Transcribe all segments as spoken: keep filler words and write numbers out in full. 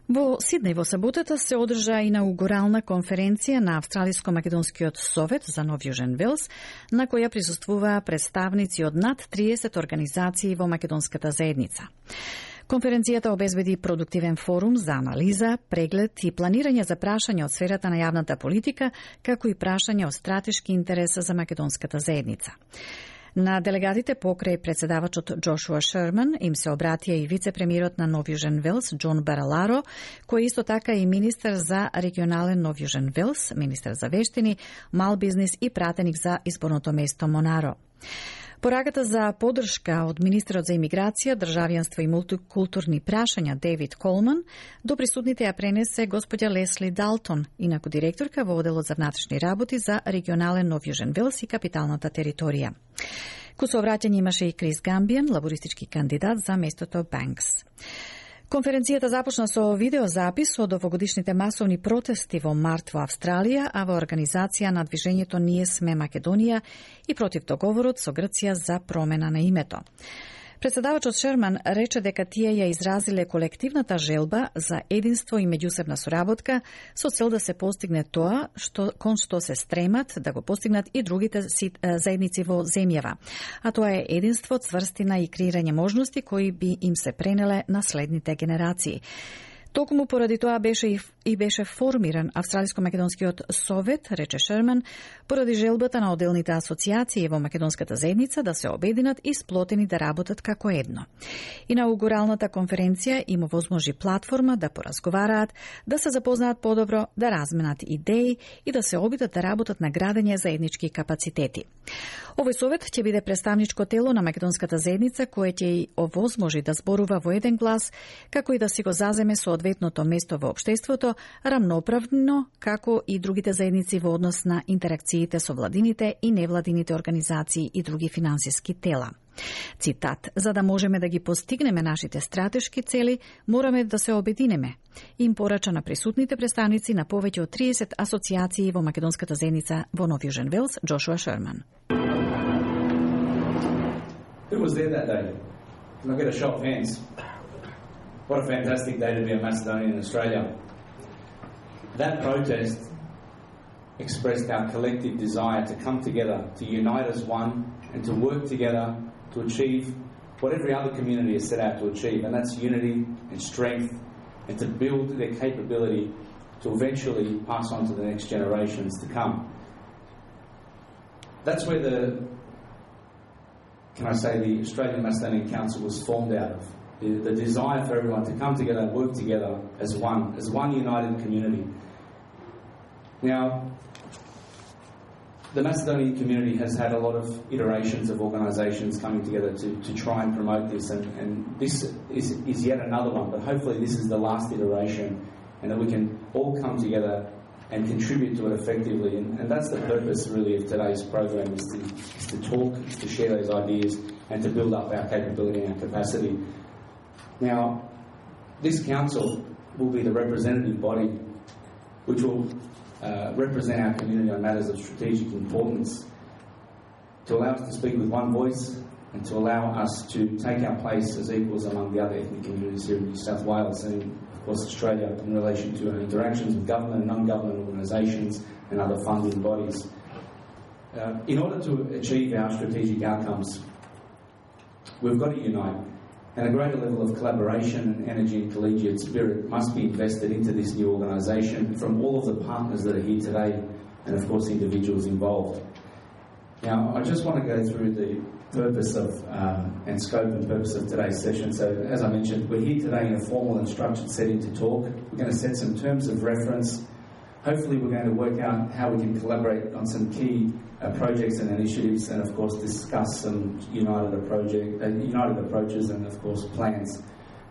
Во Сиднеј во саботата се одржа инаугурална конференција на Австралиско-македонскиот совет за Нов Јужен Велс, на која присуствуваа представници од над триесет организации во македонската заедница. Конференцијата обезбеди продуктивен форум за анализа, преглед и планирање за прашања од сферата на јавната политика, како и прашања од стратешки интерес за македонската заедница. На делегатите покрај председавачот Джошуа Шерман им се обратија и вице-премиерот на Нов Јужен Велс Џон Бараларо, кој исто така и министер за регионален Нов Јужен Велс, министер за вештини, мал бизнис и пратеник за изборното место Монаро. Пораката за поддршка од министерот за имиграција, државјанство и мултикултурни прашања Дейвид Колман до присутните ја пренесе господја Лесли Далтон, инаку директорка во оделот за внатрешни работи за регионален Нов Јужен Велс и капиталната територија. Ко сообраќање имаше и Крис Гамбијан, лабористички кандидат за местото Банкс. Конференцијата започна со видеозапис од овогодишните масовни протести во март во Австралија, а во организација на движењето Ние сме Македонија и против договорот со Грција за промена на името. Председавачот Шерман рече дека тие ја изразиле колективната желба за единство и меѓусебна соработка со цел да се постигне тоа што кон што се стремат да го постигнат и другите заедници во земјава, а тоа е единство, цврстина и креирање можности кои би им се пренеле на следните генерации. Токму поради тоа беше и, и беше формиран Австралиско-македонскиот совет, рече Шерман, поради желбата на отделните асоциации во македонската заедница да се обединат и сплотени да работат како едно. Инаугуралната конференција им овозможи платформа да поразговараат, да се запознаат подобро, да разменат идеи и да се обидат да работат на градење заеднички капацитети. Овој совет ќе биде представничко тело на македонската заедница кое ќе и овозможи да зборува во еден глас, како и да си го заземе соодветното место во општеството, рамноправно, како и другите заедници во однос на интеракциите со владините и невладините организации и други финансиски тела. Цитат: "За да можеме да ги постигнеме нашите стратешки цели, мораме да се обединеме", им порача на присутните представници на повеќе од триесет асоциации во македонската заедница во Нов Јужен Велс, Джошуа Шерман. Who was there that day? Can I get a show of hands? What a fantastic day to be a Macedonian in Australia. That protest expressed our collective desire to come together, to unite as one, and to work together to achieve what every other community has set out to achieve, and that's unity and strength, and to build their capability to eventually pass on to the next generations to come. That's where the, can I say, the Australian Macedonian Council was formed out of. The, the desire for everyone to come together and work together as one, as one united community. Now, the Macedonian community has had a lot of iterations of organisations coming together to, to try and promote this, and, and this is, is yet another one, but hopefully this is the last iteration, and that we can all come together and contribute to it effectively, and, and that's the purpose really of today's program, is to, is to talk, is to share those ideas, and to build up our capability and our capacity. Now, this council will be the representative body which will uh, represent our community on matters of strategic importance, to allow us to speak with one voice and to allow us to take our place as equals among the other ethnic communities here in New South Wales and, of course, Australia in relation to our interactions with government and non-government organisations and other funding bodies. Uh, in order to achieve our strategic outcomes, we've got to unite. And a greater level of collaboration and energy and collegiate spirit must be invested into this new organisation from all of the partners that are here today and, of course, individuals involved. Now, I just want to go through the purpose of um, and scope and purpose of today's session. So, as I mentioned, we're here today in a formal and structured setting to talk. We're going to set some terms of reference. Hopefully, we're going to work out how we can collaborate on some key uh, projects and initiatives, and of course discuss some united, project, uh, united approaches and of course plans.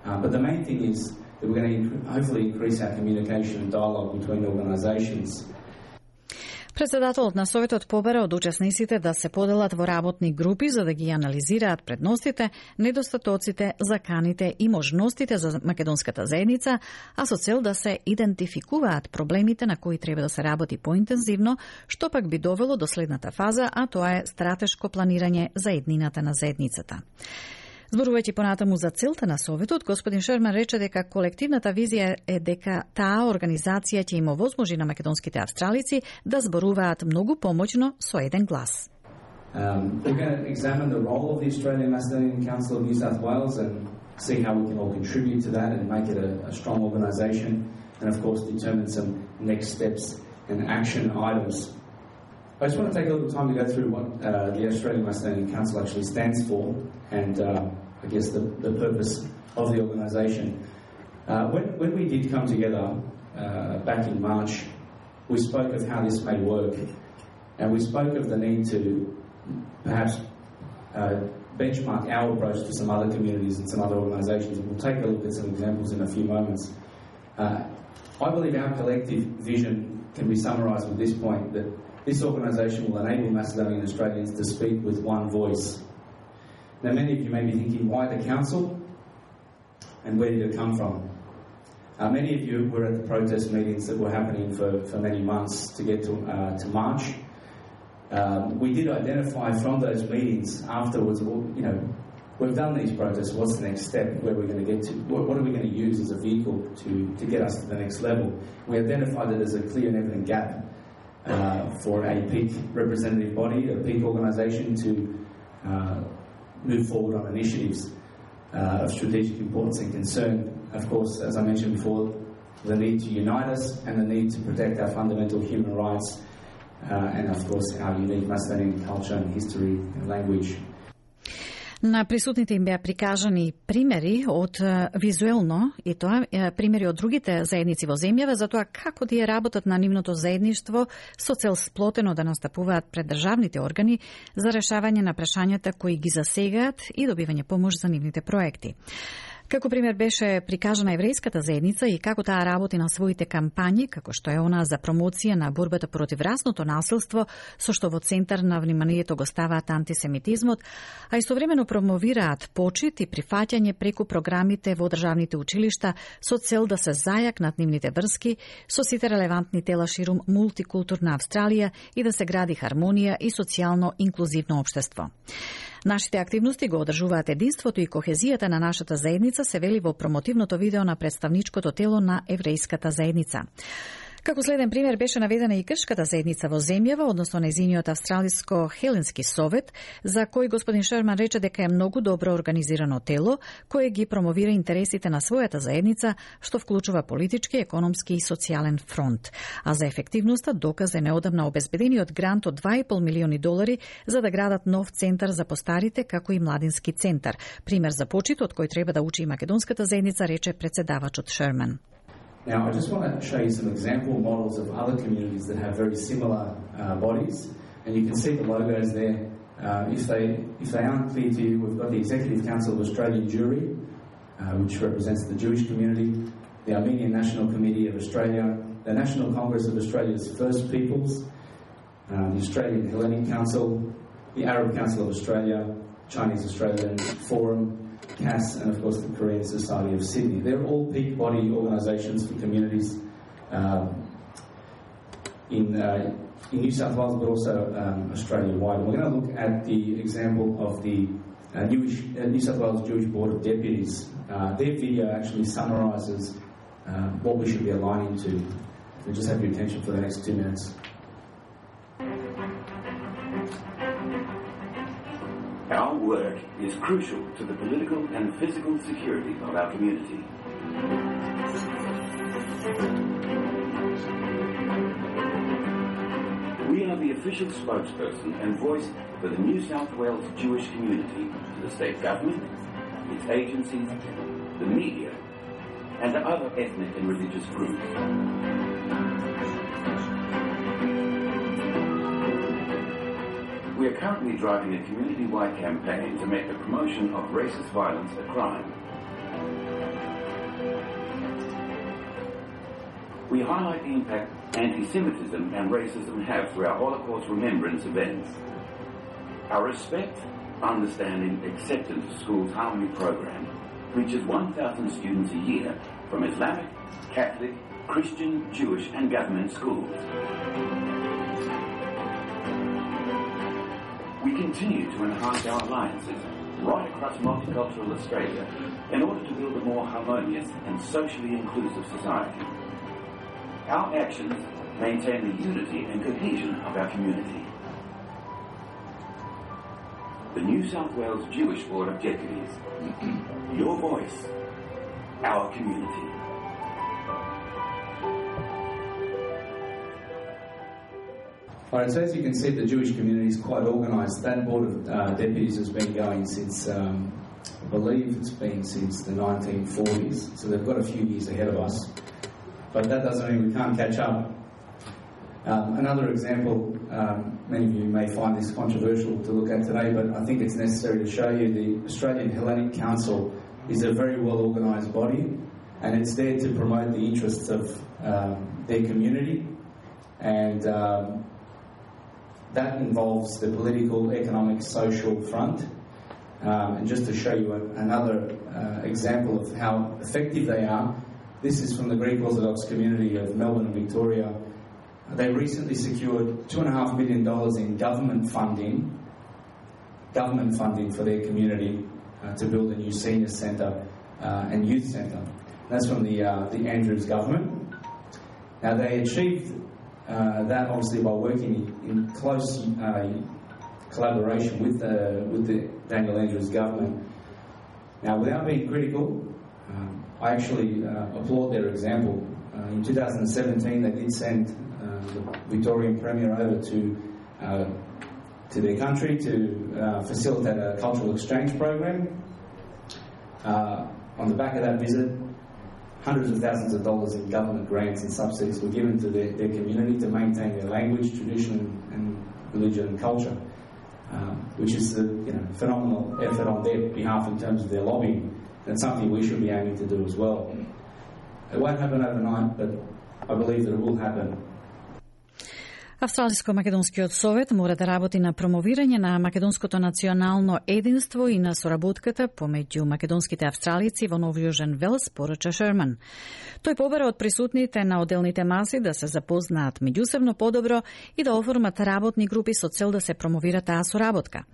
Uh, but the main thing is that we're going to inc- hopefully increase our communication and dialogue between organisations. Председателот на Советот побара од учесниците да се поделат во работни групи за да ги анализираат предностите, недостатоците, заканите и можностите за македонската заедница, а со цел да се идентификуваат проблемите на кои треба да се работи поинтензивно, што пак би довело до следната фаза, а тоа е стратешко планирање за еднината на заедницата. Зборувајќи понатаму за целта на Советот, господин Шерман рече дека колективната визија е дека таа организација ќе им овозможи на македонските австралици да зборуваат многу помоќно со еден глас. Um, we're going to examine the role of the Australian Macedonian Council of New South Wales and see how we can all contribute to that and make it a, a strong organisation, and of course determine some next steps and action items. I just want to take a little time to go through what uh, the Australian Macedonian Council actually stands for and uh, I guess the, the purpose of the organisation. Uh, when, when we did come together uh, back in March, we spoke of how this may work, and we spoke of the need to perhaps uh, benchmark our approach to some other communities and some other organisations. We'll take a look at some examples in a few moments. Uh, I believe our collective vision can be summarised with this point, that this organisation will enable Macedonian Australians to speak with one voice. Now, many of you may be thinking, why the council and where did it come from? Uh, many of you were at the protest meetings that were happening for, for many months to get to, uh, to March. Um, we did identify from those meetings afterwards, well, you know, we've done these protests, what's the next step, where we're going to get to, what, what are we going to use as a vehicle to, to get us to the next level? We identified that there's a clear and evident gap uh, for a peak representative body, a peak organisation to uh, move forward on initiatives uh, of strategic importance and concern. Of course, as I mentioned before, the need to unite us and the need to protect our fundamental human rights uh, and, of course, our unique Macedonian culture and history and language. На присутните им беа прикажани примери од визуелно и тоа примери од другите заедници во земјава за тоа како да ја работат на нивното заедништво со цел сплотено да настапуваат пред државните органи за решавање на прашањата кои ги засегаат и добивање помош за нивните проекти. Како пример беше прикажана еврејската заедница и како таа работи на своите кампањи, како што е она за промоција на борбата против расното насилство, со што во центар на вниманието го ставаат антисемитизмот, а истовремено промовираат почит и прифаќање преку програмите во државните училишта со цел да се зајакнат нивните врски со сите релевантни тела ширум мултикултурна Австралија и да се гради хармонија и социјално инклузивно општество. Нашите активности го одржуваат единството и кохезијата на нашата заедница, се вели во промотивното видео на представничкото тело на еврејската заедница. Како следен пример беше наведена и грчката заедница во земјава, односно нејзиниот австралиско-хеленски совет, за кој господин Шерман рече дека е многу добро организирано тело, кое ги промовира интересите на својата заедница, што вклучува политички, економски и социјален фронт. А за ефективноста доказа неодамна обезбедениот грант од два и пол милиони долари за да градат нов центар за постарите, како и младински центар. Пример за почит од кој треба да учи и македонската заедница, рече председавачот Шерман. Now, I just want to show you some example models of other communities that have very similar uh, bodies, and you can see the logos there. Uh, if they if they aren't clear to you, we've got the Executive Council of Australian Jewry, uh, which represents the Jewish community, the Armenian National Committee of Australia, the National Congress of Australia's First Peoples, uh, the Australian Hellenic Council, the Arab Council of Australia, Chinese Australian Forum, C A S, and of course the Korean Society of Sydney. They're all peak body organisations for communities um, in, uh, in New South Wales, but also um, Australia-wide. We're going to look at the example of the uh, Newish, uh, New South Wales Jewish Board of Deputies. Uh, their video actually summarises uh, what we should be aligning to. So just have your attention for the next two minutes. Our work is crucial to the political and physical security of our community. We are the official spokesperson and voice for the New South Wales Jewish community to the state government, its agencies, the media, and to other ethnic and religious groups. We are currently driving a community-wide campaign to make the promotion of racist violence a crime. We highlight the impact anti-Semitism and racism have through our Holocaust remembrance events. Our Respect, Understanding, Acceptance Schools Harmony program reaches one thousand students a year from Islamic, Catholic, Christian, Jewish and government schools. We continue to enhance our alliances right across multicultural Australia in order to build a more harmonious and socially inclusive society. Our actions maintain the unity and cohesion of our community. The New South Wales Jewish Board of Deputies. Your voice, our community. All right, so as you can see, the Jewish community is quite organised. That Board of uh, Deputies has been going since, um, I believe it's been since the nineteen forties, so they've got a few years ahead of us. But that doesn't mean we can't catch up. Um, another example, um, many of you may find this controversial to look at today, but I think it's necessary to show you the Australian Hellenic Council is a very well organised body, and it's there to promote the interests of um, their community, and um, that involves the political, economic, social front. Um, and just to show you a, another uh, example of how effective they are, this is from the Greek Orthodox community of Melbourne and Victoria. They recently secured two and a half million dollars in government funding, government funding for their community uh, to build a new senior centre uh, and youth centre. That's from the uh, the Andrews government. Now they achieved uh, that obviously by working in close uh, collaboration with the with the Daniel Andrews government. Now, without being critical, um, I actually uh, applaud their example. Uh, in two thousand seventeen, they did send the Victorian Premier over to uh, to their country to uh, facilitate a cultural exchange program. Uh, on the back of that visit, hundreds of thousands of dollars in government grants and subsidies were given to their, their community to maintain their language, tradition, and religion and culture, uh, which is a you know, phenomenal effort on their behalf in terms of their lobbying. That's something we should be aiming to do as well. It won't happen overnight, but I believe that it will happen. Австралиско-македонскиот совет мора да работи на промовирање на македонското национално единство и на соработката помеѓу македонските австралици во Нов Јужен Велс, порача Шерман. Тој побара од присутните на одделните маси да се запознаат меѓусебно подобро и да оформат работни групи со цел да се промовира таа соработка.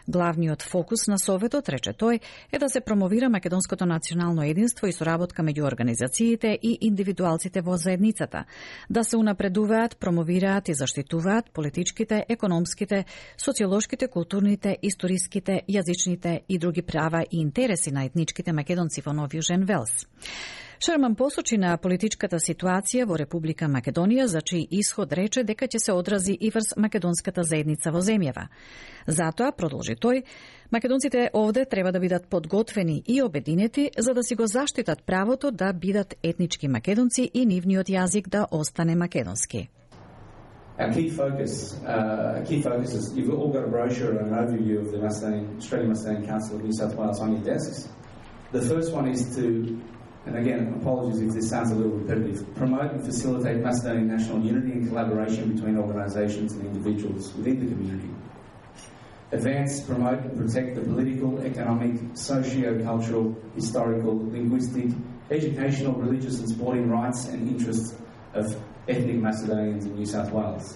Главниот фокус на советот, рече тој, е да се промовира македонското национално единство и соработка меѓу организациите и индивидуалците во заедницата, да се унапредуваат, промовираат и заштитуваат политичките, економските, социолошките, културните, историските, јазичните и други права и интереси на етничките македонци во Нов Јужен Велс. Шерман посочи на политичката ситуација во Република Македонија, за чиј исход рече дека ќе се одрази и врз македонската заедница во земјава. Затоа, продолжи тој, македонците овде треба да бидат подготвени и обединети за да си го заштитат правото да бидат етнички македонци и нивниот јазик да остане македонски. Our key focus, uh, key focus is, you've all got a brochure and an overview of the Macedonian, Australian Macedonian Council of New South Wales on your desks. The first one is to, and again, apologies if this sounds a little repetitive, promote and facilitate Macedonian national unity and collaboration between organisations and individuals within the community. Advance, promote and protect the political, economic, socio-cultural, historical, linguistic, educational, religious and sporting rights and interests of ethnic Macedonians in New South Wales.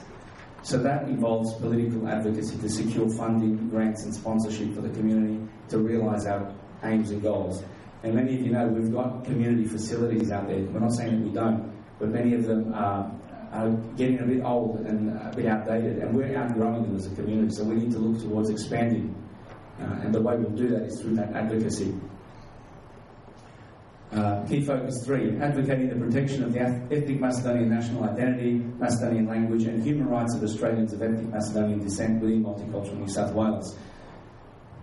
So that involves political advocacy to secure funding, grants and sponsorship for the community to realise our aims and goals. And many of you know we've got community facilities out there. We're not saying that we don't, but many of them are, are getting a bit old and a bit outdated, and we're outgrowing them as a community, so we need to look towards expanding. Uh, and the way we'll do that is through that advocacy. Uh, key focus three, advocating the protection of the ethnic Macedonian national identity, Macedonian language and human rights of Australians of ethnic Macedonian descent within multicultural New South Wales.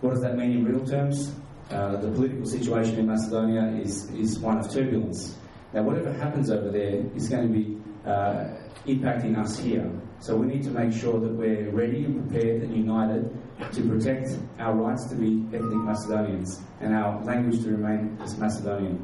What does that mean in real terms? Uh, the political situation in Macedonia is, is one of turbulence. Now, whatever happens over there is going to be uh, impacting us here. So we need to make sure that we're ready and prepared and united to protect our rights to be ethnic Macedonians and our language to remain as Macedonian.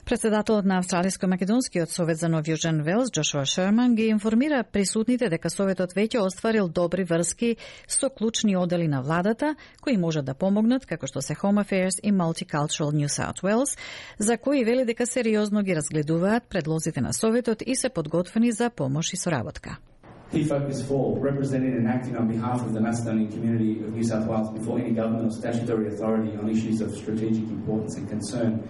Председателот на Австралиско-македонскиот совет за Нов Јужен Велс, Джошуа Шерман, ги информира присутните дека советот веќе остварил добри врски со клучни одели на владата, кои можат да помогнат, како што се Home Affairs и Multicultural New South Wales, за кои вели дека сериозно ги разгледуваат предлозите на советот и се подготвени за помош и соработка. Key Focus four, representing and acting on behalf of the Macedonian community of New South Wales before any government or statutory authority on issues of strategic importance and concern.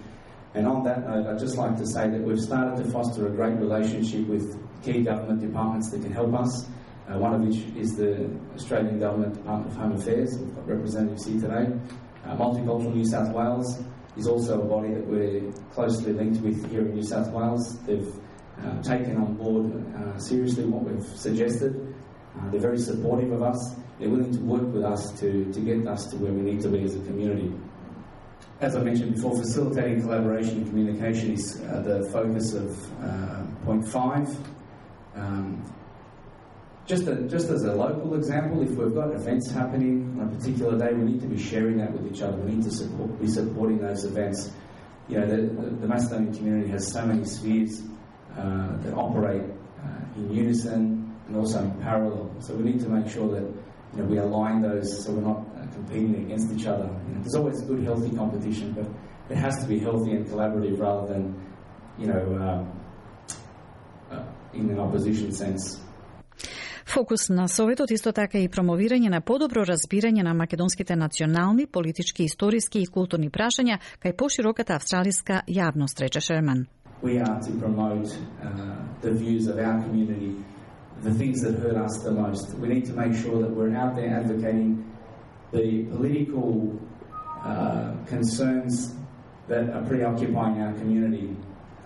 And on that note, I'd just like to say that we've started to foster a great relationship with key government departments that can help us, uh, one of which is the Australian Government Department of Home Affairs. We've got representatives here today. Uh, Multicultural New South Wales is also a body that we're closely linked with here in New South Wales. They've Uh, taken on board uh, seriously what we've suggested. Uh, they're very supportive of us. They're willing to work with us to, to get us to where we need to be as a community. As I mentioned before, facilitating collaboration and communication is uh, the focus of uh, point five. Um, just, a, just as a local example, if we've got events happening on a particular day, we need to be sharing that with each other. We need to support, be supporting those events. You know, the, the, the Macedonian community has so many spheres Uh, that operate uh, in unison and also in parallel. So we need to make sure that, you know, we align those so we're not uh, competing against each other. You know, there's always good, healthy competition, but it has to be healthy and collaborative rather than, you know, uh, uh, in an opposition sense. Фокус на Советот исто така и промовирање на подобро разбирање на македонските национални, политички, историски и културни прашања кај пошироката австралиска јавност, рече Шерман. We are to promote uh, the views of our community, the things that hurt us the most. We need to make sure that we're out there advocating the political uh, concerns that are preoccupying our community,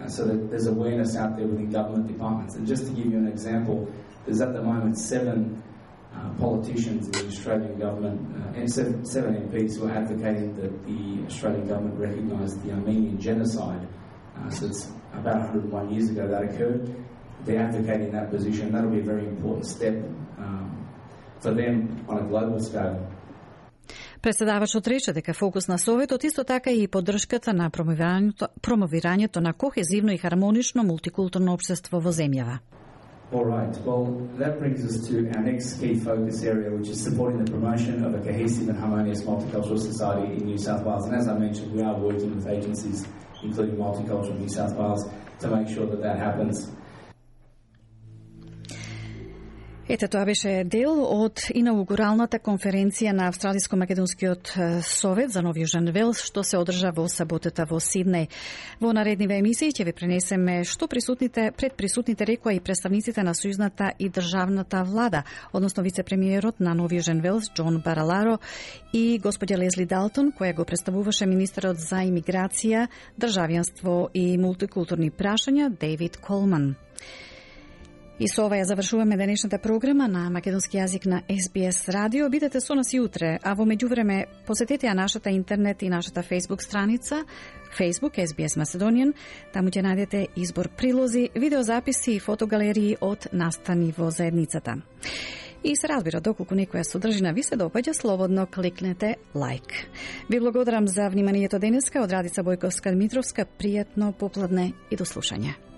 uh, so that there's awareness out there within government departments. And just to give you an example, there's at the moment seven uh, politicians in the Australian government, uh, and seven, seven M Ps who are advocating that the Australian government recognise the Armenian genocide. Uh, so it's about one hundred one years ago that occurred. They're advocating that position. That'll be a very important step um, for them on a global scale. Председавачот рече дека фокус на Советот исто така и поддршката на промовирањето, промовирањето на кохезивно и хармонично мултикултурно општество во земјава. All right. Well, that brings us to our next key focus area, which is supporting the promotion of a cohesive and harmonious multicultural society in New South Wales. And as I mentioned, we are working with agencies, including Multicultural New South Wales, to make sure that that happens. Ете, тоа беше дел од инаугуралната конференција на Австралиско-македонскиот совет за Нов Јужен Велс, што се одржа во саботата во Сиднеј. Во наредниве емисии ќе ви пренесеме што присутните, пред присутните рекоа и представниците на сојузната и државната влада, односно вице-премиерот на Нов Јужен Велс, Џон Бараларо, и господја Лезли Далтон, која го представуваше министерот за имиграција, државјанство и мултикултурни прашања, Дейвид Колман. И со ова ја завршуваме денешната програма на македонски јазик на Ес Би Ес радио. Бидете со нас и утре, а во меѓувреме посетете ја нашата интернет и нашата Facebook страница Facebook Ес Би Ес Macedonian. Таму ќе најдете избор прилози, видеозаписи и фотогалерии од настани во заедницата. И се разбира, доколку некоја содржина ви се допаѓа, слободно кликнете лайк. Ви благодарам за вниманието денеска. Од Радица Бојковска Дмитровска, пријатно попладне и до слушање.